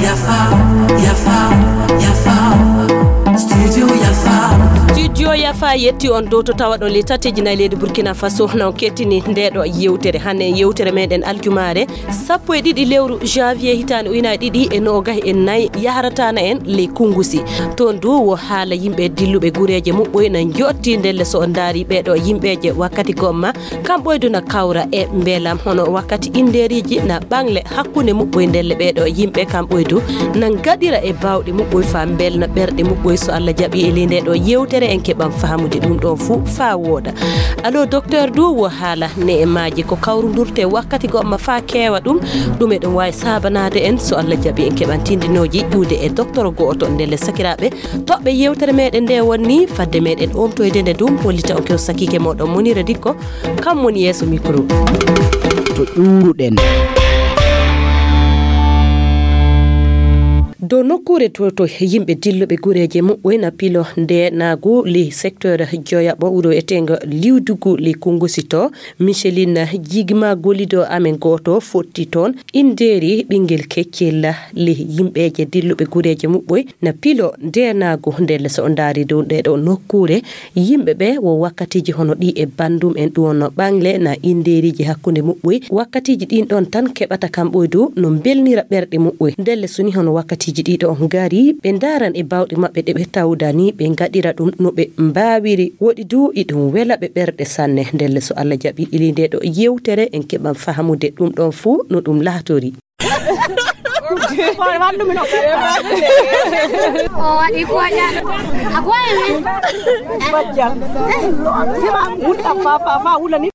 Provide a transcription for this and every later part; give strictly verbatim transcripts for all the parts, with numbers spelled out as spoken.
Yafa, yafa, yafa. Studio Yafa. Studio Yafa yetti on dow to tawa ɗon le tateji nayi leydi Burkina Faso na on kettini nde ɗo yewtere. Hannde yewtere meɗen aljumaare sappo e ɗiɗi lewru janvier hitaande ujunaaji ɗiɗi e noogas e nayi yaharatana en le Kungusi. Toon du wo haala yimɓe dilluɓe gureeje muɓɓoy na njotti ndelle so on ndaari ɓeeɗo yimɓeeje wakkati gomma. Kam ɓoydu na kawra e mbelam hono wakkati indeeriji na ɓaŋle hakkunde muɓɓoy ndelle ɓeeɗo yimɓe kam ɓoydu na ngaɗira e baawɗe muɓɓoy faa mbelna ɓerɗe muɓɓoy so Allah jaɓi e ley nde ɗo yewtere en keɓan fahamude ɗum ɗon fuu faa wooɗa. Allo docteur du wo haala ne e maaji ko kawrundurte wakkati gomma faa keewa ɗum, ɗum eɗum waawi saabanaade en so Allah jaɓi en keɓan tindinooji ƴuude e docteur go'oto ndelle sakiraaɓe. Toɓɓe yewtere meɗen nde wonni fadde meɗen omtoyde nde ɗum hollita on kew sakike moɗon Monira Dikko, kam woni yeeso micro. To ƴuuruɗen. Dow nokkuure to, to yimɓe dilluɓe gureeje muɓɓoy na pilo nde naagu li secteur joyaɓo wuro etengo liwdugu li Kungusi to, Micheline Jigma golido amen gooto fotti toon indeeri ɓingel keccel li yimɓeeje dilluɓe gureeje muɓɓoy na pilo nde naagu ndelle so o ndaari dow nde ɗo nokkuure. Yimɓe ɓe wo wakkatiiji hono ɗi e banndum en ɗum wonno ɓaŋle na inndeeriiji hakkunde muɓɓoy. Wakkatiiji ɗin ɗon tan keɓata kam ɓoydu no mbelnira ɓerɗe muɓɓoy. Ndelle so ni hono wakkatiiji ɗi ɗo ngari, ɓe ndaaran e baawɗe maɓɓe ɗe ɓe tawdani, ɓe ngaɗira ɗum no ɓe mbaawiri. Woɗi du iɗum wela ɓe ɓerɗe sanne. Ndelle so Allah jaɓi ili nde ɗo yewtere en keɓan fahamude ɗum ɗon fuu no ɗum laatori.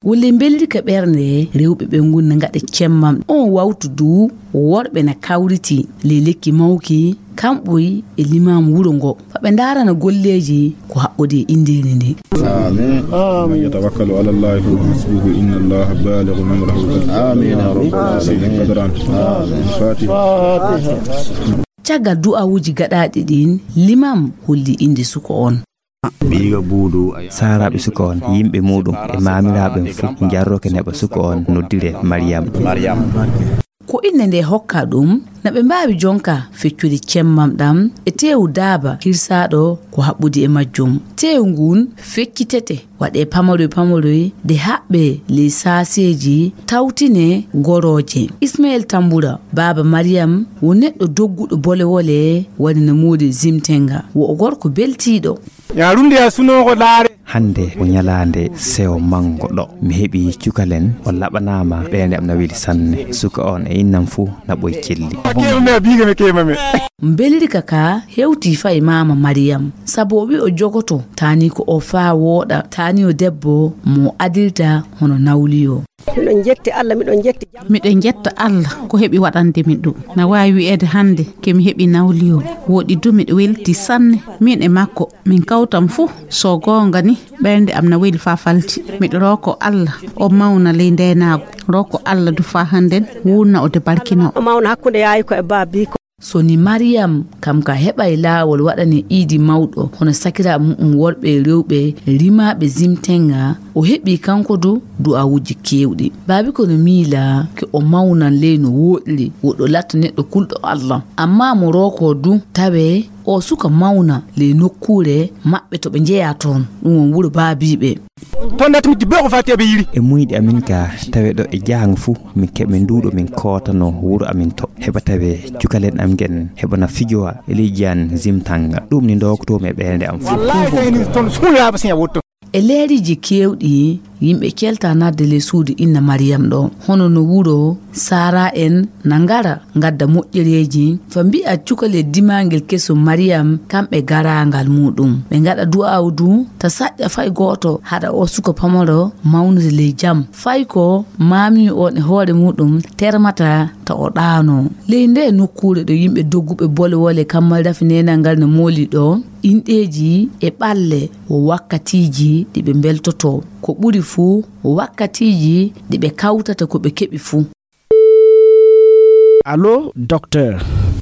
Wulli mbeldi ka ɓernde rewɓe ɓe ngunna ngaɗa cemmam. On wawtu du worɓe na kawriti le lekki mawki kamɓoy e limaamu wuro ngo. Fa ɓe ndaarana golleeji ko haɓɓodi e inndeeri ndi. Amin. Amin. Yatawakkalu ala Allahi fa huwa hasbuhu, inna Allaha balighu amrahu. Amin ya rabbal alamin. Fatiha. Caggal du'awuuji gaɗaaɗi ɗin, limam holli innde suko on. Biiga buudu. Saaraaɓe suko on, yimɓe muuɗum e maamiraaɓe fof njarroke neɓa suko on noddire Mariyam. Ko innde nde hokka ɗum, na ɓe mbaawi jonka feccude cemmam ɗam e teewu daaba hirsaaɗo ko haɓɓudi e majjum. Teewu ngun feccitete, waɗe pamaroy pamaroy, de haɓɓe ley saaseeji, tawtine gorooje. Ismael Tambura, baaba Mariyam, wo neɗɗo dogguɗo bolewole, woni no moodi zimtenga. Wo o gorko beltiiɗo. Ya runde ya suno ko laare. Hannde ko ñalaande sewo manngo ɗo. Mi heɓi cukalen, o laɓanaama, ɓeynde am na weli sanne. Suka on e innam fuu na ɓoy celli. Keema me, biiga me, keema me. Mbelirka ka hewti fay maama Mariyam, sabu o wi o jogoto taani ko o faa wooɗa, taani o debbo mo adilta hono nawliyo. Miɗo jetti Allah, miɗo jetti jam. Miɗo jetta Allah ko heɓi waɗande min ɗum. Na waawi wi'eede hannde ke mi heɓi nawliyo. Woɗi du miɗo welti sanne. Min e makko, min kawtam fuu. So goonga ni, ɓernde am na weli faa falti. Miɗo rooko Allah, o mawna ley ndeenaagu. Rooko Allah du faa hannden, wuurna o de barkino. O mawna hakkunde yaayi ko e baabi ko. So ni Mariyam, kam ka heɓay laawol waɗane iidi mawɗo, hono sakiraaɓe mu'um worɓe e rewɓe, rimaaɓe zimtenga, o heɓi kanko du du'awuuji keewɗi. Baabi ko no miila ke o mawnan ley no wooɗiri, woɗo latta neɗɗo kulɗo Allah. Amma mo rooko du, tawe o suka mawna ley nokkuure maɓɓe to ɓe njeyaa toon. Ɗum won wuro baabiiɓe. Ton nat mi dibbe ko fati be yiri. E muyɗi amin ka tawe ɗo e jahango fuu, min keɓe nduuɗo min kootano wuro amin to. Heɓa tawe cukalen am ngen, heɓa na fijowa e ley jaan zimtanga. Ɗum ni ndokto mi e ɓeynde am fuu. Wallahi, sey ni ton suuyaaba siya wotto. E leeriiji keewɗi, yimɓe kelta nadde ley suudu inna Mariyam ɗo. Hono no wuro Sara en na ngara ngadda moƴƴereeji, fa mbi'a cukale dimangel keso Mariyam, kamɓe garangal muɗum. Ɓe ngaɗa du'aawu du, ta saƴƴa fay gooto, haɗa o suka pamaro mawnude ley jam. Fay ko maami on e hoore muɗum termata ta o ɗaano. Ley nde nokkuure ɗo yimɓe dogguɓe bole wole kammal rafi nenal ngal no mooli ɗo, inɗeeji e ɓalle wo wakkatiiji ɗi ɓe mbeltoto. Ko ɓuri fuu, wo wakkatiiji ɗi ɓe kawtata ko ɓe keɓi fuu. Allo, docteur.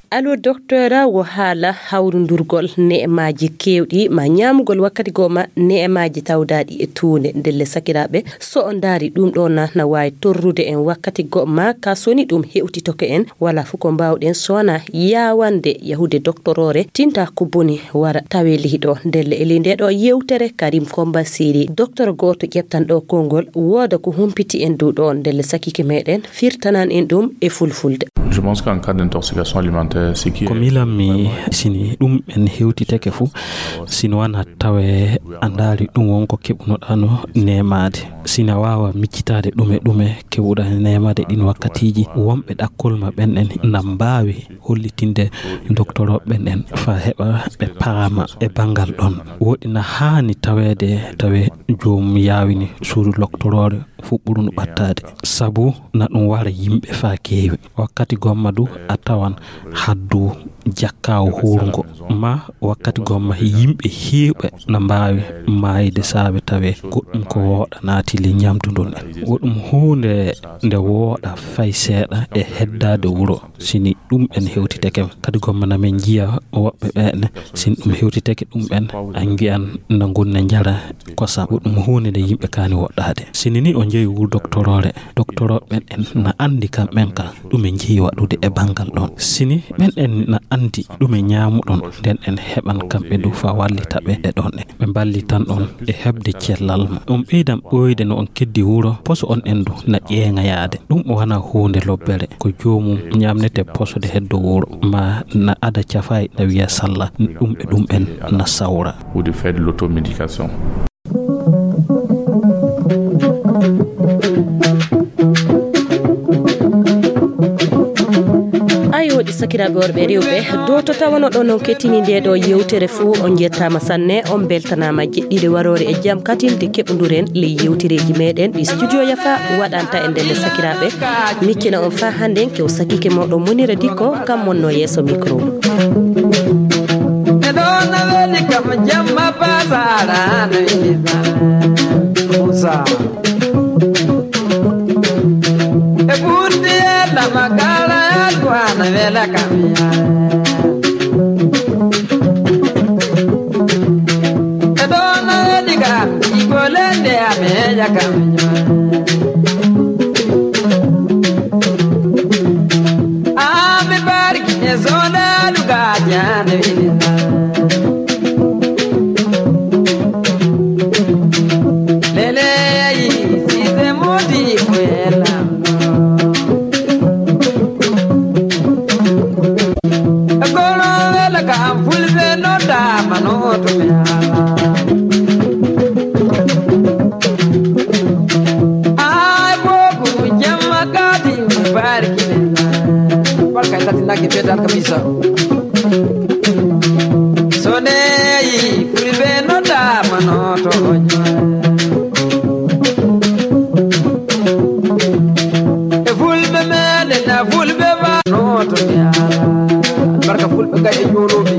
Allo, docteur, wo haala hawrundurgol ne'emaaji keewɗi, ma ñaamugol wakkati goo ma ne'emaaji tawdaaɗi e tuunde. Ndelle, sakiraaɓe, so on ndaari ɗum ɗo na, na waawi torrude en wakkati goo ma, ka so ni ɗum hewtitoke en, wala fof ko mbaawɗen so wonaa yaawande yahude doktoroore, tinta ko boni wara tawe lihi ɗo. Ndelle, e ley nde ɗo yewtere, Karim Komba Siri, docteur gooto ƴeftan ɗo konngol, wooda ko humpiti en dow ɗo. Ndelle, sakike meɗen firtanan en ɗum e fulfulde. Je pense qu'en cas d'intoxication alimentaire, ce qui Ko est miilan-mi, sini ɗum en hewtitake fuu, sino wona tawe a ndaari ɗum won ko keɓunoɗaa no neemaade. Sina waawa miccitaade ɗume ɗume keɓuɗaa neemaade ɗin wakkatiiji. Wonɓe ɗakkol ma ɓen en na mbaawi hollitinde doktorooɓe ɓen en faa heɓa ɓe paama e banngal ɗon. Woɗi na haani taweede tawe joom yaawini suudu loktoroore fuɗɗuɗo no ɓattaade. Sabu na ɗum wara yimɓe faa keewi. Wakkati gomma du a tawan haddu jakkaawo huurngo. Ma wakkati gomma yimɓe heewɓe na mbaawi maayde saabe tawe goɗɗum ko wooɗa naati le ñamdu ndun en. Woɗum huunde nde wooɗa fay seeɗa e heddaade wuro. Sini ɗum en hewtitake, kadi gomma na min njiya woɓɓe ɓe ne, sin ɗum hewtitake ɗum en, a ngi'an na ngunna njara kosam. Ko ɗum huunde nde yimɓe kaani woɗɗaade. Sini ni o njeyi wuro doktoroore, doktorooɓe ɓen en na anndi kamɓen ka ɗum en njeyi waɗude e banngal ɗon. Sini ɓen en na anndi ɗum e ñaamuɗon, nden en heɓan kamɓe du fa wallita ɓe e ɗon en. Ɓe mballitan on e heɓde cellal ma. On ɓeydan ɓooyde no on keddi wuro, poso on en du na ƴeeŋayaade. Ɗum o wona huunde lobbere, ko joomum ñaamnete posode heddo wuro, ma na ada cafay na wiya salla, ɗum e ɗum en na sawra. Ou de faire de l'automédication. Ayo, ɗi sakiraaɓe worɓe e rewɓe, do to tawano ɗo non kettini nde ɗo yewtere fuu, on njettaama sanne, on beltanaama jeɗɗiɗe waroore e jam katin de keɓonduren ley yewtereeji meɗen ɗi Studio Yafa waɗanta e ndelle sakiraaɓe. Miccina on faa hannde kew sakike moɗon Monira Dikko, kam monno yeeso micro. E ɗo na weli kam jamma pasara na weli sara. Musa. E ɓurti e lama kala e alkuana wela kam yare. E ɗo na weli kam igolende ameja kam yare. Ami barki e zona luga jane weli sara. Lele yi, si se modi ko e lamɗo. Kono wela ka am fulɓe noddaama no to mi haala. Ay bogu jamma kadi mi barki. Barka e tati nagge fetal kamisa. So neyi fulɓe noddaama no to ñoore. E fulɓe meɗen na fulɓe ba no to mi ala. Barka fulɓe gay e joɗoɓe.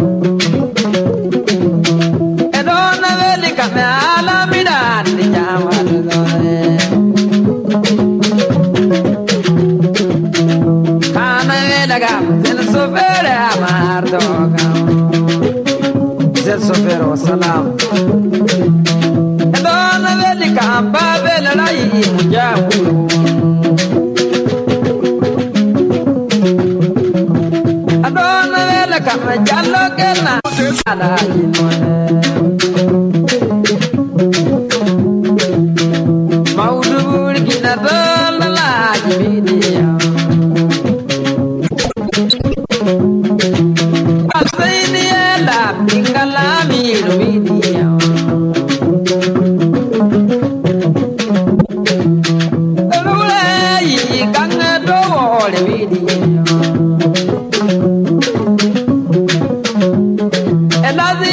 E ɗo na weli kamɓe ala miɗa andi ñaamata ɗo. Kana wela kam sen sofere amar do kam. Sen sofere wa salam. E ɗo na weli kam babel rayi mujabu. E ɗo na wela kam jallo kena. Ala inone. Mawdu burgina dalla laaji midiya. Asayni ela bingala miru midiya. Rulai kanga dowole midiya. Elazi